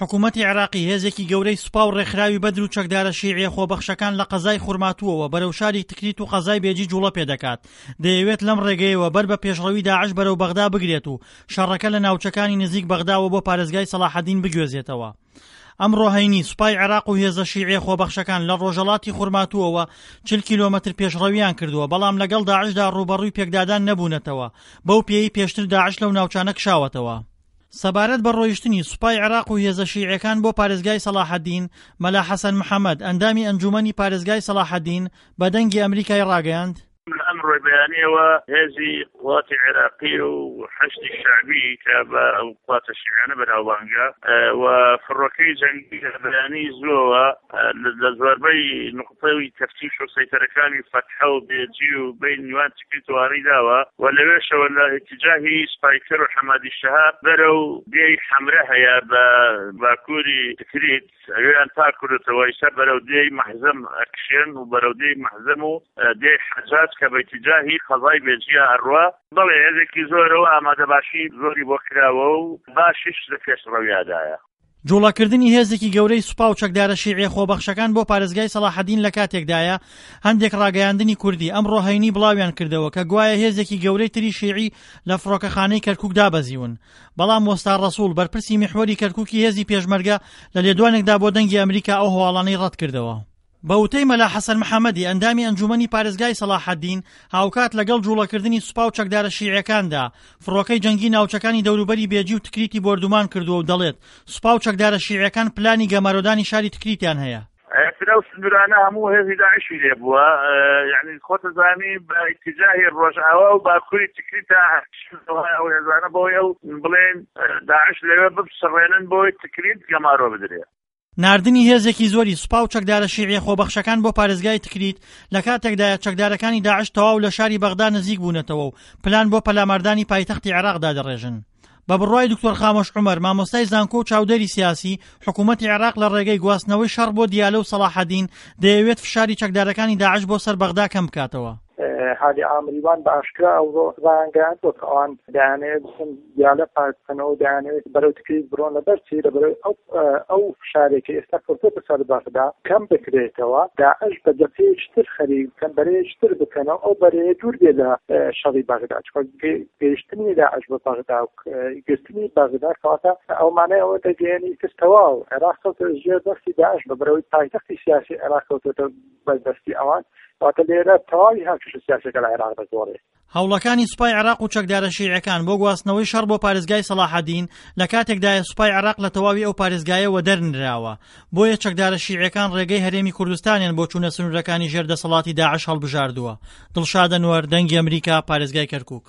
حکوومەتی عێراقی هێزێکی گەورەی سوپا و ڕێکخراوی بەدر و چەکدارە شیعیە خۆبەخشەکان لە قەزای خورماتووەوە بەرەو شاری تکریت و قەزای بێجی جوڵە پێدەکات، دەیەوێت لەم ڕێگەیەوە بەر بە پێشڕەوی داعش بەرەو بەغدا بگرێت و شەڕەکە لە ناوچەکانی نزیک بەغداوە بۆ پارێزگای سەڵاحەدین بگوێزێتەوە. ئەمڕۆ هەینی، سوپای عێراق و هێزە شیعیە خۆبەخشەکان لە ڕۆژهەڵاتی خورماتووەوە 40 کیلۆمەتر پێشڕەویان کردووە، بەڵام لەگەڵ داعشدا ڕووبەڕووی پێکدادان نەبوونەتەوە، بەو پێیەی پێشتر داعش لەو ناوچانە کشاوەتەوە. سەبارەت بە ڕۆیشتنی سوپای عێراق و هێزە شیعیەکان بۆ پارێزگای سەڵاحەدین، مەلا حەسەن محەمەد، ئەندامی ئەنجوومەنی پارێزگای سەڵاحەدین، بە دەنگی ئەمریکای ڕاگەیاند، لە ئەمڕۆی بەیانیەوە هێزی قوات عێراقی و حەشدی شەعبی کە بە ئەو قواتە شیعیانە بەناوبانگە و فڕۆکەی جەنگی لە بەیانی زووەوە لە زۆربەی نوقتەی تەفتیش و سەیتەرەکانی فەتحە و بێجی و بەین نیوان تکریت و ئاری داوە و لەوێشەوە لە ئیتیجاهی سپایکەر و حەمادی شەهاب بەرەو دێی حەمرە هەیە بە باکووری تکریت ئەوێیان پاک کردۆتەوە، ئیستا بەرەو دێی مەحزەم ئەکشێن و بەرەو دێی مەحزەم و دێی حەجاج کە بە ئیتیجاهی قەزای بێجیە ئەڕوا. بەڵێ هێزێکی زۆرە و ئامادەباشی زۆری بۆ کراوە و باشیش لە پێشڕەویادایە. جوڵەکردنی هێزێکی گەورەی سوپا و چەکدارە شیعیە خۆبەخشەکان بۆ پارێزگای سەڵاحەدین لە کاتێکدایە هەندێک ڕاگەیاندنی کوردی ئەمڕۆ هەینی بڵاویان کردەوە کە گوایە هێزێکی گەورەی تری شیعی لە فڕۆکەخانەی کەرکوک دابەزیون بەڵام وەستا ڕەسوڵ بەرپرسی میحوەری کەرکوکی هێزی پێشمەرگە لە لێدوانێکدا بۆ دەنگی ئەمریکا ئەو هەواڵانەی ڕەتکردەوە. بە وتەی مەلا حەسەن محەمەدی ئەندامی ئەنجومەنی پارێزگای سەڵاحەدین، هاوکات لەگەڵ جوڵەکردنی سوپا و چەکدارە شیعیەکاندا، فڕۆکەی جەنگی ناوچەکانی دەوروبەری بێجی و تکریتی بۆردومان کردووە و دەڵێت، سوپا و چەکدارە شیعیەکان پلانی گەمارۆدانی شاری تکریتیان هەیە. ئیتر ئەو سنوورانە هەموو هێزی داعشی لێ بووە یعنی خۆتەزانی بە ئیتیجاهی ڕۆژئاوا و باکووری تکریتا ئەو هێزانە بۆی ئەو بڵێن داعش لەوێ بپسڕێنن بۆی تکریت گەمارۆ بدرێ. ناردنی هێزێکی زۆری سوپا و چەکدارە شیعیە خۆبەخشەکان بۆ پارێزگای تکریت لە کاتێکدایە چەکدارەکانی داعش تەواو لە شاری بەغدا نزیک بوونەتەوە و پلان بۆ پەلاماردانی پایتەختی عێراق دادەڕێژن. بە بڕوای دکتۆر خامۆش عومەر، مامۆستای زانکۆ و چاودێری سیاسی، حکوومەتی عێراق لە ڕێگەی گواستنەوەی شەڕ بۆ دیالە و سەڵاحەدین، دەیەوێت فشاری چەکدارەکانی داعش بۆ سەر بەغدا کەم بکاتەوە. هادی عامریوان بە ئاشکرا ئەوڕۆ ڕایانگەیاندووە کە ئەوان دەیانەوێت بچن دیالە پاک بکەنەوە و دەیانەوێت بەرەو تکریت بڕۆن لەبەر چی لەبەرەوەی ئەو ئەو فشارێک کە ئێستا کەوتۆتە سەر بەغدا کەم بکرێتەوە داعش بە جەبهەیەکی تر خەریک بکەن بەرەیەکی تر بکەنەوە ئەو بەرەیە دوور بێ لە شەڕی بەغدا چونکە گەیشتنی داعش بە بەغدا و گرتنی بەغدا کەواتە ئەو مانای ئەوە دەگەیەنی ئیتر تەواو عێراق کەوتە ژێر دەستی داعش بە بەرەوەی پایتەختی سیاسی عێراق کەوتۆتە بەردەستی ئەوان واتە لێرە تەواوی هاوکێشە سیاسەکە لە عێراق دەگۆڕێ. هەوڵەکانی سوپای عێراق و چەکدارە شیعەکان بۆ گواستنەوەی شەڕ بۆ پارێزگای سەڵاحەدین لە کاتێکدایە سوپای عێراق لە تەواوی ئەو پارێزگایە وەدەرنراوە، بۆیە چەکدارە شیعەکان ڕێگەی هەرێمی کوردستانیان بۆ چوونە سنوورەکانی ژێر دەسەڵاتی داعش هەڵبژاردووە. دڵشاد ئەنوەر، دەنگی ئەمریکا، پارێزگای کەرکووک.